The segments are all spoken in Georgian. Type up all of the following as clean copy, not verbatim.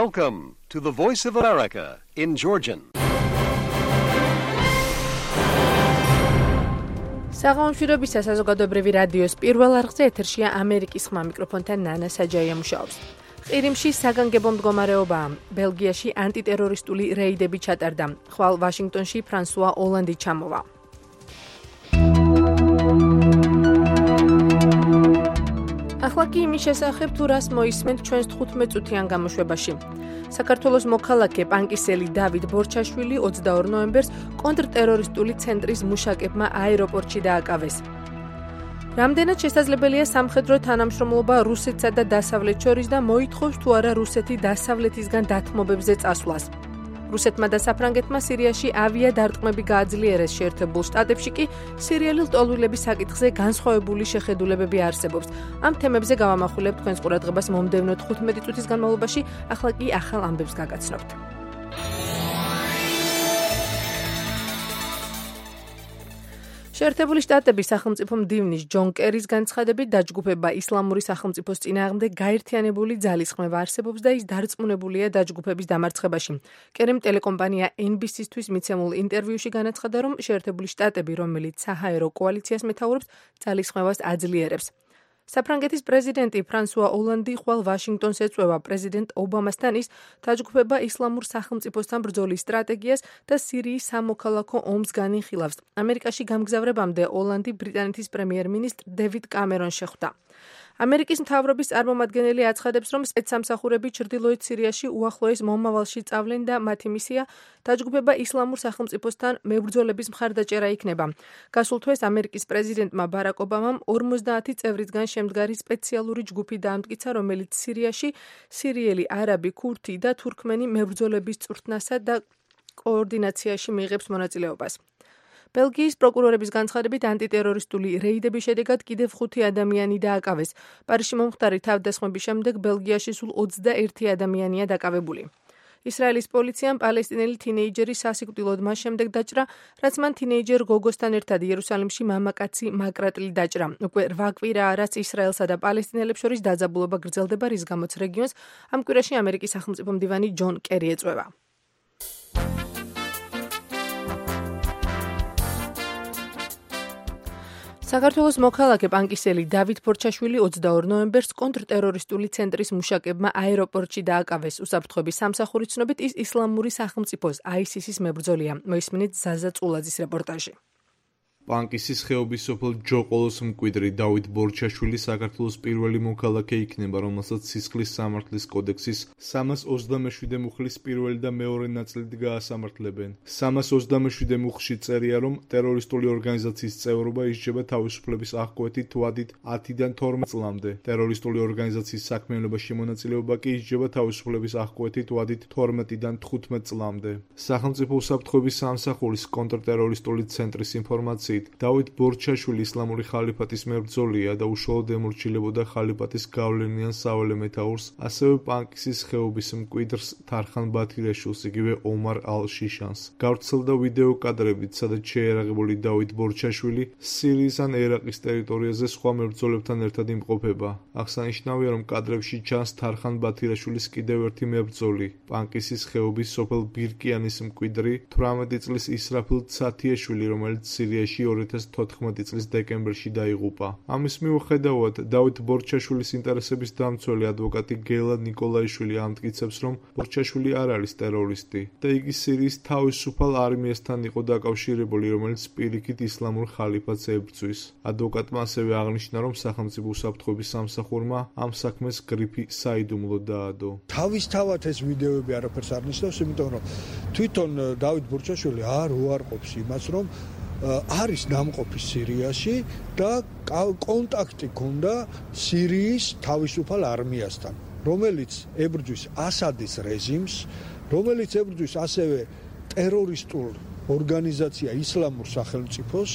Welcome to the Voice of America in Georgian. საღამოშვიდობისა საზოგადოებრივი რადიოს პირველ არხზე ეთერშია ამერიკის ხმა მიკროფონთან ნანა საჯაია მუშაობს. ყირიმში საგანგებო მდგომარეობაა. ბელგიაში ანტიტერორისტული რეიდები ჩატარდა. ხვალ ვაშინგტონში ფრანსუა ოლანდი ჩამოვა. ახლა კი იმის შესახებ თუ რას მოისმენთ ჩვენს 15 წუთიან გამოშვებაში. საქართველოს მოქალაქე პანკისელი დავით ბორჩაშვილი 22 ნოემბერს კონტრტერორისტული ცენტრის მუშაკებმა აეროპორტში დააკავეს. რამდენად შესაძლებელია სამხედრო თანამშრომლობა რუსეთსა და დასავლეთ შორის და მოითხოვს თუ არა რუსეთი დასავლეთისგან დათმობებზე წასვლას. რუსეთმა და საფრანგეთმა სირიაში ავიადარტყმები გააძლიერეს, შეერთებულ შტატებში კი სირიელი ლტოლვილების საკითხზე განსხვავებული შეხედულებები არსებობს. ამ თემებზე გავამახვილებთ თქვენს ყურადღებას მომდევნო 15 წუთის განმავლობაში, ახლა კი ახალ ამბებს გაგაცნობთ. შეერთებული შტატების სახელმწიფო მდივნის ჯონ კერის განცხადებით დაჯგუფება ისლამური სახელმწიფოს წინააღმდეგ გაერთიანებული ძალისხმევა არსებობს და ის დარწმუნებულია დაჯგუფების დამარცხებაში. კერიმ ტელეკომპანია NBC-თვის მიცემულ ინტერვიუში განაცხადა, რომ შეერთებული შტატები, რომელიც საჰაერო კოალიციას მეთაურობს, ძალისხმევას აძლიერებს. საფრანგეთის პრეზიდენტი ფრანსუა ოლანდი ხვალ ვაშინგტონს ეწვევა პრეზიდენტ ობამასთან ის დაჯგუფება ისლამურ სახელმწიფოსთან ბრძოლის სტრატეგიას და სირიის სამოქალაქო ომს განიხილავს. ამერიკაში გამგზავრებამდე ოლანდი ბრიტანეთის პრემიერ-მინისტრ დევიდ კამერონს შეხვდა. ამერიკის მთავრობის წარმომადგენელი აცხადებს, რომ სპეცსამსახურები ჩრდილოეთ სირიაში უახლოეს მომავალში წავლენ და მათი მისია დაჯგუფება ისლამურ სახელმწიფოსთან მებრძოლების მხარდაჭერა იქნება. გასულ თვეს ამერიკის პრეზიდენტმა ბარაკ ობამამ 50 წევრისგან შემდგარი სპეციალური ჯგუფი დაამტკიცა, რომელიც სირიაში სირიელი, არაბი, ქურთი და თურქმენი მებრძოლების წვრთნასა და კოორდინაციაში მიიღებს მონაწილეობას. ბელგიის პროკურორების განცხადებით ანტიტერორისტული რეიდების შედეგად კიდევ 5 ადამიანი დააკავეს. პარიზში მომხდარი თავდასხმების შემდეგ ბელგიაში სულ 21 ადამიანია დაკავებული. ისრაელის პოლიციამ პალესტინელი თინეიჯერი სასიკვდილოდ მას შემდეგ დაჭრა, რაც მან თინეიჯერ გოგოსთან ერთად იერუსალიმში მამაკაცი მაკრატლი დაჭრა. უკვე 8 კვირაა, რაც ისრაელსა და პალესტინელებს შორის დაძაბულობა გრძელდება, რის გამოც რეგიონს ამ კვირაში ამერიკის სახელმწიფო მდივანი ჯონ კერი ეწვევა. საქართველოს მოქალაქე პანკისელი დავით ბორჩაშვილი 22 ნოემბერს კონტრტერორისტული ცენტრის მუშაკებმა აეროპორტში დააკავეს. უსაფრთხოების სამსახურის ცნობით ის ისლამური სახელმწიფოს ISIS-ის მებრძოლია. მოისმინეთ ზაზა წულაძის რეპორტაჟი. პანკისის ხეობის სოფელ ჯოყოლოს მკვიდრი დავით ბორჩაშვილი საქართველოს პირველი მოქალაქე იქნება, რომელსაც სისხლის სამართლის კოდექსის 327 მუხლის პირველი და მეორე ნაწილით გაასამართლებენ. 327 მუხლში წერია, რომ ტერორისტული ორგანიზაციის წევრობა ისჯება თავისუფლების აღკვეთით ვადით 10-დან 12 წლამდე. ტერორისტული ორგანიზაციის საქმიანობაში მონაწილეობა კი ისჯება თავისუფლების აღკვეთით ვადით 12-დან 15 წლამდე. სახელმწიფო უსაფრთხოების სამსახურის კონტრტერორისტული ცენტრის ინფორმაციით დავით ბორჩაშვილი ისლამური ხალიფატის მებრძოლია და უშუალოდ ემორჩილებოდა ხალიფატის გავლენიან საველე მეთაურს, ასევე პანკისის ხეობის მკვიდრს თარხან ბათირაშვილს, იგივე ომარ ალ-შიშანს. გავრცელდა ვიდეო კადრებით, სადაც შეერაღებული დავით ბორჩაშვილი სირიის ან ერაყის ტერიტორიაზე სხვა მებრძოლებთან ერთად იმყოფება. აღსანიშნავია, რომ კადრებში ჩანს თარხან ბათირაშვილის კიდევ ერთი მებრძოლი, პანკისის ხეობის სოფელ ბირკიანის მკვიდრი 18 წლის ისრაფილ ცათიაშვილი, რომელიც სირიაში 2014 წლის დეკემბერში დაიღუპა. ამის მიუხედავად, დავით ბორჩაშვილის ინტერესების დამცველი ადვოკატი გელა ნიკოლაიშვილი ამტკიცებს, რომ ბორჩაშვილი არ არის ტერორისტი და იგი სირიის თავისუფალ არმიასთან იყო დაკავშირებული, რომელიც პირიქით ისლამურ ხალიფატს ებრძვის. ადვოკატმა ასევე აღნიშნა, რომ სახელმწიფო უსაფრთხოების სამსახურმა ამ საქმეს გრიფი საიდუმლოდ დაადო. თავისთავად ეს ვიდეოები არაფერს არ ნიშნავს, იმიტომ რომ თვითონ დავით ბორჩაშვილი არ უარყოფს იმას, რომ არის ნამყოფი სირიაში და კონტაქტი ჰქონდა სირიის თავისუფალ არმიასთან, რომელიც ებრძვის ასადის რეჟიმს, რომელიც ებრძვის ასევე ტერორისტულ ორგანიზაცია ისლამურ სახელმწიფოს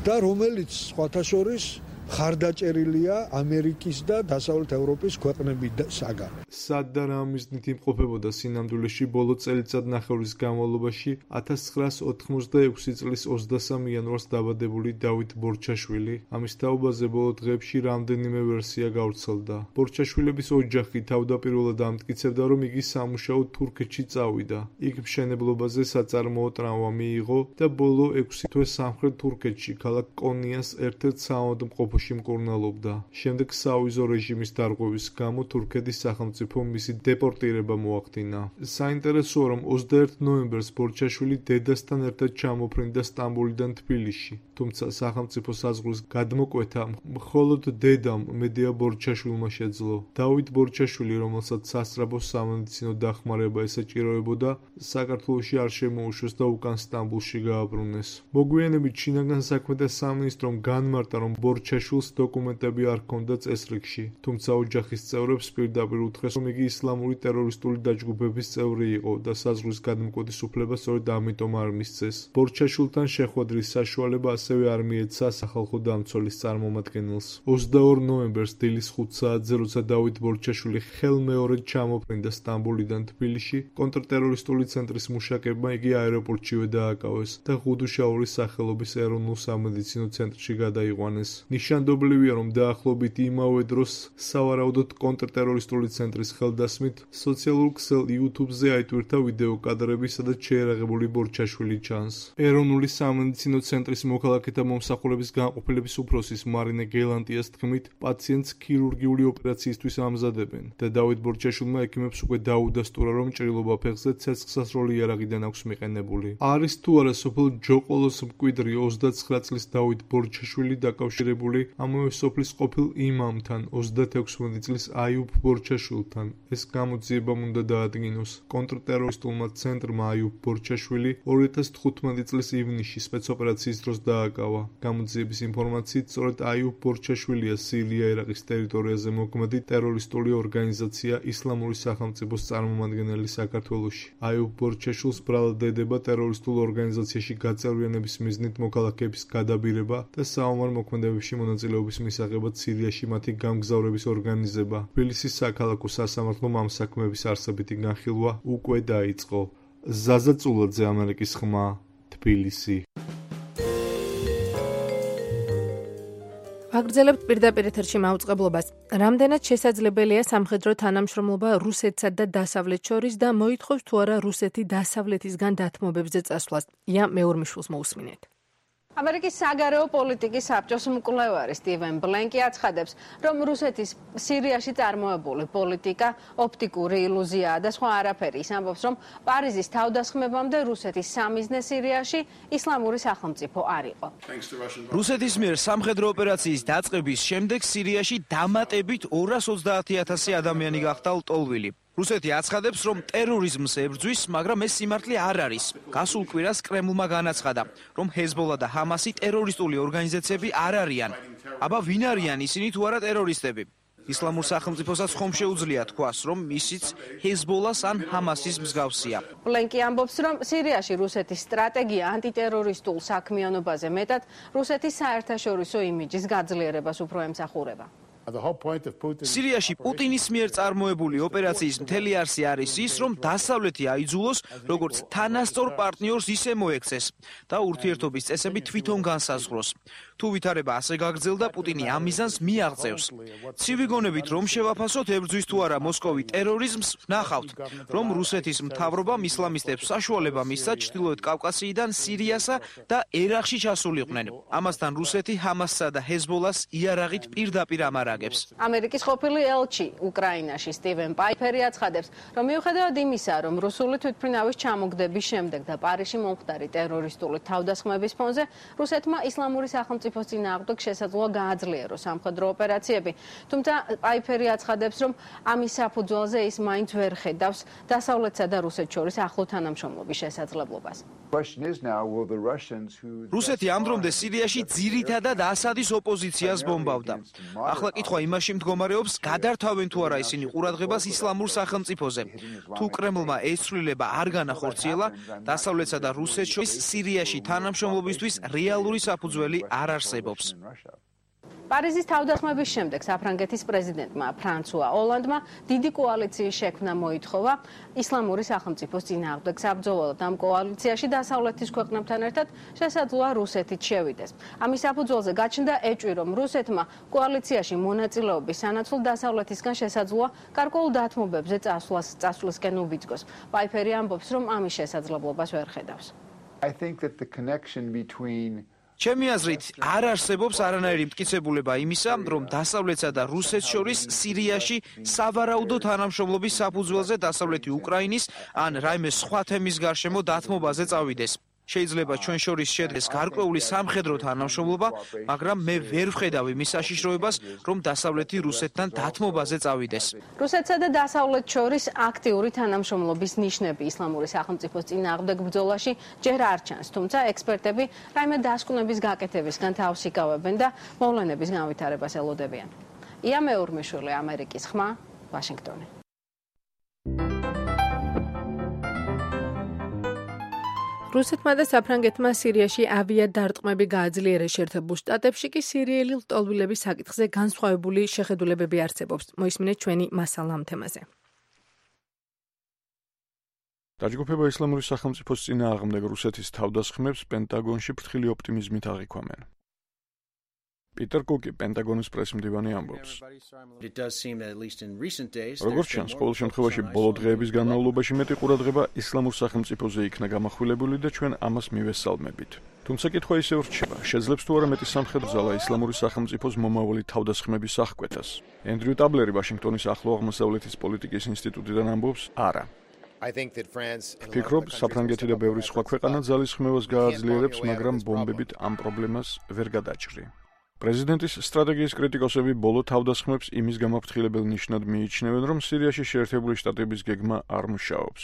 და რომელიც სხვათა შორის ხარდაჭერილია ამერიკის და დასავლეთ ევროპის ქვეყნებისაგან. სად და რა მიზნით იმყოფებოდა სინამდვილეში ბოლო წელიწადნახევრის განმავლობაში 1986 წლის 23 იანვარს დაბადებული დავით ბორჩაშვილი? ამის თაობაზე ბოლო დღეებში რამდენიმე ვერსია გავრცელდა. ბორჩაშვილების ოჯახი თავდაპირველად ამტკიცებდა, რომ იგი სამუშაოდ თურქეთში წავიდა. იქ მშენებლობაზე საწარმოო ტრავმა მიიღო და ბოლო 6 თვე სამხრეთ თურქეთში ქალაქ კონიას ერთ-ერთ საავადმყოფოში მკურნალობდა. შემდეგ საავიზო რეჟიმის დარღვევის გამო თურქეთის სახელმწიფომ მისი დეპორტირება მოახდინა. საინტერესოა, რომ 21 ნოემბერს ბორჩაშვილი დედასთან ერთად ჩამოფრინდა სტამბოლიდან თბილისში. თუმცა სახელმწიფო საზღვრის გადმოკვეთა მხოლოდ დედამ მედია ბორჩაშვილმა შეძლო. დავით ბორჩაშვილი, რომელსაც სასწრაფო სამედიცინო დახმარება ესაჭიროებოდა, საქართველოში არ შემოუშვეს და უკან სტამბოლში გააბრუნეს. მოგვიანებით შინაგან საქმეთა სამინისტრომ განმარტა, რომ ბორჩაშვილს დოკუმენტები არ ჰქონდა წესრიგში, თუმცა ოჯახის წევრებს პირდაპირ უთხრეს, რომ იგი ისლამური ტერორისტული დაჯგუფების წევრი იყო და საზღვრის გადმოკვეთის უფლება სწორედ ამიტომ არ მისცეს. ბორჩაშვილთან შეხვედრის საშუალება ასევე არ მიეცა სახალხო დამცველის წარმომადგენელს. 22 ნოემბერს დილის 5 საათზე, როცა დავით ბორჩაშვილი ხელმეორედ ჩამოფრინდა სტამბოლიდან თბილისში, კონტრტერორისტული ცენტრის მუშაკებმა იგი აეროპორტშივე დააკავეს და ღუდუშაურის სახელობის ეროვნულ სამედიცინო ცენტრში გადაიყვანეს. ნიშანდობლივია, რომ დაახლოებით იმავე დროს სავარაუდოდ კონტრტერორისტული ცენტრის ხელდასმით სოციალურ ქსელ YouTube-ზე აიტვირთა ვიდეო კადრები, სადაც შეერაღებული ბორჩაშვილი ჩანს. ეროვნული სამედიცინო ცენტრის მოქალაქეთა მომსახურების განყოფილების უფროსის მარინე გელანტიას თქმით, პაციენტს ქირურგიული ოპერაციისთვის ამზადებენ და დავით ბორჩაშვილმა ექიმებს უკვე დაუდასტურა, რომ ჭრილობა ფეხზე ცეცხლსასროლი იარაღიდან აქვს მიყენებული. არის თუ არა სოფელ ჯოყოლოს მკვიდრი 29 წლის დავით ბორჩაშვილი დაკავშირებული ამავე სოფლის ყოფილ იმამთან 36 წლის აიუბ ბორჩაშვილთან? ეს გამოძიებამ უნდა დაადგინოს. კონტრტერორისტულმა ცენტრმა აიუბ ბორჩაშვილი 2015 წლის ივნისში სპეცოპერაციის დროს დააკავა. გამოძიების ინფორმაციით, სწორედ აიუბ ბორჩაშვილია სირია-ერაყის ტერიტორიაზე მოქმედი ტერორისტული ორგანიზაცია ისლამური სახელმწიფოს წარმომადგენელი საქართველოში. აიუბ ბორჩაშვილს ბრალად ედება ტერორისტულ ორგანიზაციაში გაწევრიანების მიზნით მოქალაქეების გადაბირება და საომარ მოქმედებებში მონაწილეობის მისაღებად სირიაში მათი გამგზავრების ორგანიზება. თბილისის საქალაქო სასამართლომ ამ საქმეების არსებითი განხილვა უკვე დაიწყო. ზაზა წულაძე, ამერიკის ხმა, თბილისი. ვაგრძელებთ პირდაპირ ეთერში მაუწყებლობას. რამდენად შესაძლებელია სამხედრო თანამშრომლობა რუსეთსა და დასავლეთ შორის და მოითხოვს თუ არა რუსეთი დასავლეთისგან დათმობებზე წასვლას? ია მეორმიშვილს მოусმინეთ. ამერიკის საგარეო პოლიტიკის საბჭოს მკვლევარი სტივენ ბლენკი აცხადებს, რომ რუსეთის სირიაში წარმოებული პოლიტიკა ოპტიკური ილუზიაა და სხვა არაფერი. ის ამბობს, რომ პარიზის თავდასხმებამდე რუსეთის სამიზნე სირიაში ისლამური სახელმწიფო არ იყო. რუსეთის მიერ სამხედრო ოპერაციის დაწყების შემდეგ სირიაში დამატებით 230,000 ადამიანი გახდა ლტოლვილი. რუსეთი აცხადებს, რომ ტერორიზმს ებრძვის, მაგრამ ეს სიმართლე არ არის. გასულ კვირას კრემლმა განაცხადა, რომ ჰეზბოლა და ჰამასი ტერორისტული ორგანიზაციები არ არიან. აბა ვინ არიან ისინი თუ არა ტერორისტები? ისლამურ სახელმწიფოსაც ხომ შეუძლია თქვას, რომ ისიც ჰეზბოლას ან ჰამასის მსგავსია. ბლენკი ამბობს, რომ სირიაში რუსეთის სტრატეგია ანტიტერორისტულ საქმიანობაზე მეტად რუსეთის საერთაშორისო იმიჯის გაძლიერებას უფრო ემსახურება. სირიაში პუტინის მიერ წარმოებული ოპერაციის მთელი არსი არის ის, რომ დასავლეთი აიძულოს როგორც თანასწორ პარტნიორს ისე მოექცეს და ურთიერთობის წესები თვითონ განსაზღვროს. თუ ვითარება ასე გაგრძელდა, პუტინი ამ მიზანს მიაღწევს. ცივი გონებით რომ შევაფასოთ ებრძვის თუ არა მოსკოვი ტერორიზმს, ნახავთ, რომ რუსეთის მთავრობამ ისლამისტებს საშუალება მისცა ჩრდილოეთ კავკასიიდან სირიასა და ერაყში ჩასულიყვნენ. ამასთან რუსეთი ჰამასსა და ჰეზბოლას იარაღით პირდაპირ ამარაგებს. ამერიკის ყოფილი ელჩი უკრაინაში სტივენ პაიფერი აცხადებს, რომ მიუხედავად იმისა, რომ რუსული თვითმფრინავის ჩამოგდების შემდეგ და პარიზში მომხდარი ტერორისტული თავდასხმების ფონზე რუსეთმა ისლამური სახელმწიფოს წინააღმდეგ შესაძლოა გააძლიეროს სამხედრო ოპერაციები. თუმცა პაიფერი აცხადებს, რომ ამის საფუძველზე ის მაინც ვერ ხედავს დასავლეთსა და რუსეთს შორის ახლო თანამშრომლობის შესაძლებლობას. რუსეთი ამ დრომდე სირიაში ძირითადად ასადის ოპოზიციას ბომბავდა. ახლა კითხვა იმაში მდგომარეობს, გადართავენ თუ არა ისინი ყურადღებას ისლამურ სახელმწიფოზე. თუ კრემლმა ეს ცვლილება არ განახორციელა, დასავლეთსა და რუსეთს შორის სირიაში თანამშრომლობისთვის რეალური საფუძველი არ არსებობს. პარიზის თავდასხმების შემდეგ საფრანგეთის პრეზიდენტმა ფრანსუა ოლანდმა დიდი კოალიციის შექმნა მოითხოვა ისლამური სახელმწიფოს წინააღმდეგ. საბრძოლოდ ამ კოალიციაში დასავლეთის ქვეყნებთან ერთად შესაძლოა რუსეთიც შევიდეს. ამის საფუძველზე გაჩნდა ეჭვი, რომ რუსეთმა კოალიციაში მონაწილეობის სანაცვლოდ დასავლეთისგან შესაძლოა გარკვეულ დათმობებზე წასვლისკენ უბიძგოს. პაიფერი ამბობს, რომ ამის შესაძლებლობას ვერ ხედავს. I think that the connection between ჩემი აზრით, არ არსებობს არანაირი მტკიცებულება იმისა, რომ დასავლეთსა და რუსეთს შორის სირიაში სავარაუდო თანამშრომლობის საფუძველზე დასავლეთი უკრაინის ან რაიმე სხვა თემის გარშემო დათმობაზე წავიდეს. შეიძლება ჩვენ შორის შედგეს გარკვეული სამხედრო თანამშრომლობა, მაგრამ მე ვერ ვხედავ იმის საშიშროებას, რომ დასავლეთი რუსეთთან დათმობაზე წავიდეს. რუსეთსა და დასავლეთს შორის აქტიური თანამშრომლობის ნიშნები ისლამური სახელმწიფოს წინააღმდეგ ბრძოლაში ჯერ არ ჩანს, თუმცა ექსპერტები რაიმე დასკვნების გაკეთებისგან თავს იკავებენ და მოვლენების განვითარებას ელოდებიან. ია მეურმიშვილი, ამერიკის ხმა, ვაშინგტონი. რუსეთმა და საფრანგეთმა სირიაში ავიადარტყმები გააძლიერეს. შეერთებულ შტატებში კი სირიელი ლტოლვილების საკითხზე განსხვავებული შეხედულებები არსებობს. მოისმინეთ ჩვენი მასალა ამ თემაზე. დაჯგუფება ისლამური სახელმწიფოს წინააღმდეგ რუსეთის თავდასხმებს პენტაგონში ფრთხილი ოპტიმიზმით აღიქვამენ. პიტერ კუკი, პენტაგონის პრესმდივანი ამბობს. როგორც ჩანს, ყოველ შემთხვევაში ბოლო დღეების განმავლობაში მეტი ყურადღება ისლამურ სახელმწიფოზე იქნა გამახვილებული და ჩვენ ამას მივესალმებით. თუმცა კითხვა ისევ რჩება, შეძლებს თუ არა მეტი სამხედრო ძალა ისლამური სახელმწიფოს მომავალი თავდასხმების აღკვეთას. ენდრიუ ტაბლერი ვაშინგტონის ახლო აღმოსავლეთის პოლიტიკის ინსტიტუტიდან ამბობს, არა. ვფიქრობ, საფრანგეთი და ბევრი სხვა ქვეყანა ძალისხმევას გააძლიერებს, მაგრამ ბომბებით ამ პრობლემას ვერ გადაჭრი. პრეზიდენტის სტრატეგიის კრიტიკოსები ბოლო თავდასხმებს იმის გამაფრთხილებელ ნიშნად მიიჩნევენ, რომ სირიაში შეერთებული შტატების გეგმა არ მუშაობს.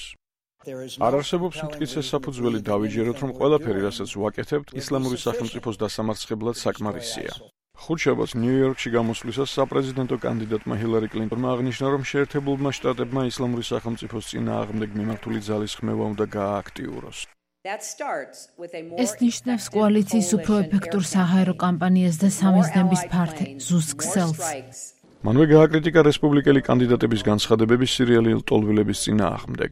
არ არსებობს მტკიცე საფუძველი დავიჯეროთ, რომ ყველაფერი, რასაც ვაკეთებთ, ისლამური სახელმწიფოს დასამარცხებლად საკმარისია. ხუთშაბათს ნიუ-იორკში გამოსვლისას საპრეზიდენტო კანდიდატმა ჰილარი კლინტონმა აღნიშნა, რომ შეერთებულმა შტატებმა ისლამური სახელმწიფოს წინააღმდეგ მიმართული ძალისხმევა უნდა გაააქტიუროს. ეს ნიშნავს კოალიციის უფრო ეფექტურ საჰაერო კამპანიას და სამიზნების ზუსტ ქსელს. მანვე გააკრიტიკა რესპუბლიკელი კანდიდატების განცხადებები სირიელი ლტოლვილების წინააღმდეგ.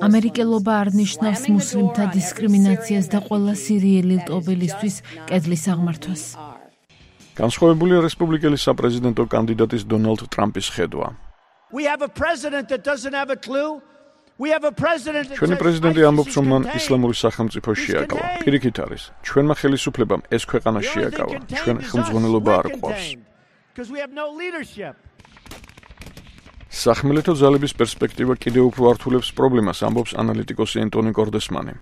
ამერიკელობა არ ნიშნავს მუსლიმთა დისკრიმინაციას და ყველა სირიელი ლტოლვილისთვის კედლის აღმართვას. განსხვავებულია რესპუბლიკელი საპრეზიდენტო კანდიდატის დონალდ ტრამპის ხედვა. ჩვენი პრეზიდენტი ამბობს, რომ მან ისლამური სახელმწიფო შეაკავა. პირიქით არის, ჩვენმა ხელისუფლებამ ეს ქვეყანა შეაკავა. ჩვენ ხელმძღვანელობა არ გვყავს. სახმელეთო ძალების პერსპექტივა კიდევ უფრო ართულებს პრობლემას, ამბობს ანალიტიკოსი ენტონი კორდესმანი.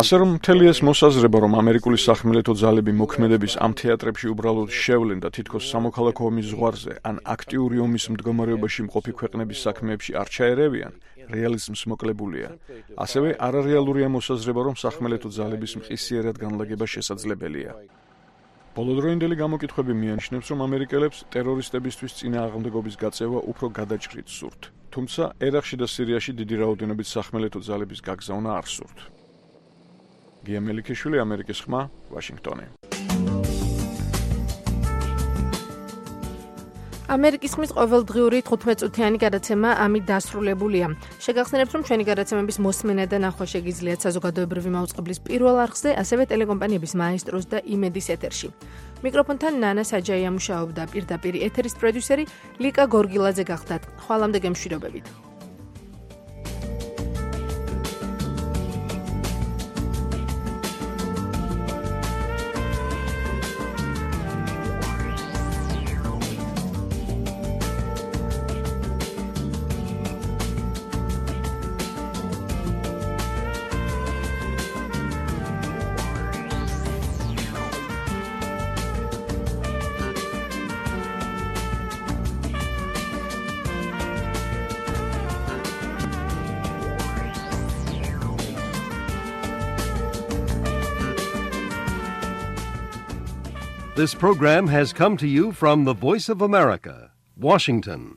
ასე რომ მთელი ეს მოსაზრება, რომ ამერიკული სახმელეთო ძალები მოქმედების ამ თეატრებში უბრალოდ შევლენ და თითქოს სამოქალაქო ომის ზღვარზე ან აქტიური ომის მდგომარეობაში მყოფი ქვეყნების საქმეებში არ ჩაერევიან, რეალიზმს მოკლებულია. ასევე არარეალურია მოსაზრება, რომ სახმელეთო ძალების მყისიერად განლაგება შესაძლებელია. ბოლოდროინდელი გამოკითხვები მიანიშნებს, რომ ამერიკელებს ტერორისტებისთვის წინააღმდეგობის გაწევა უფრო გადაჭრით სურთ. თუმცა ერაყში და სირიაში დიდი რაოდენობით სახმელეთო ძალების გაგზავნა არ სურთ. გია მელიქიშვილი, ამერიკის ხმა, ვაშინგტონი. ამერიკის ხმის ყოველდღიური 15-წუთიანი გადაცემა ამით დასრულებულია. შეგახსენებთ, რომ ჩვენი გადაცემების მოსმენა და ნახვა შეგიძლიათ საზოგადოებრივი მაუწყებლის პირველ არხზე, ასევე ტელეკომპანიების მაესტროს და იმედის ეთერში. მიკროფონთან ნანა საჯაია მუშაობდა, პირდაპირ ეთერის პროდიუსერი ლიკა გორგილაძე გახდათ. ხვალამდე გემშვიდობებით. This program has come to you from the Voice of America, Washington.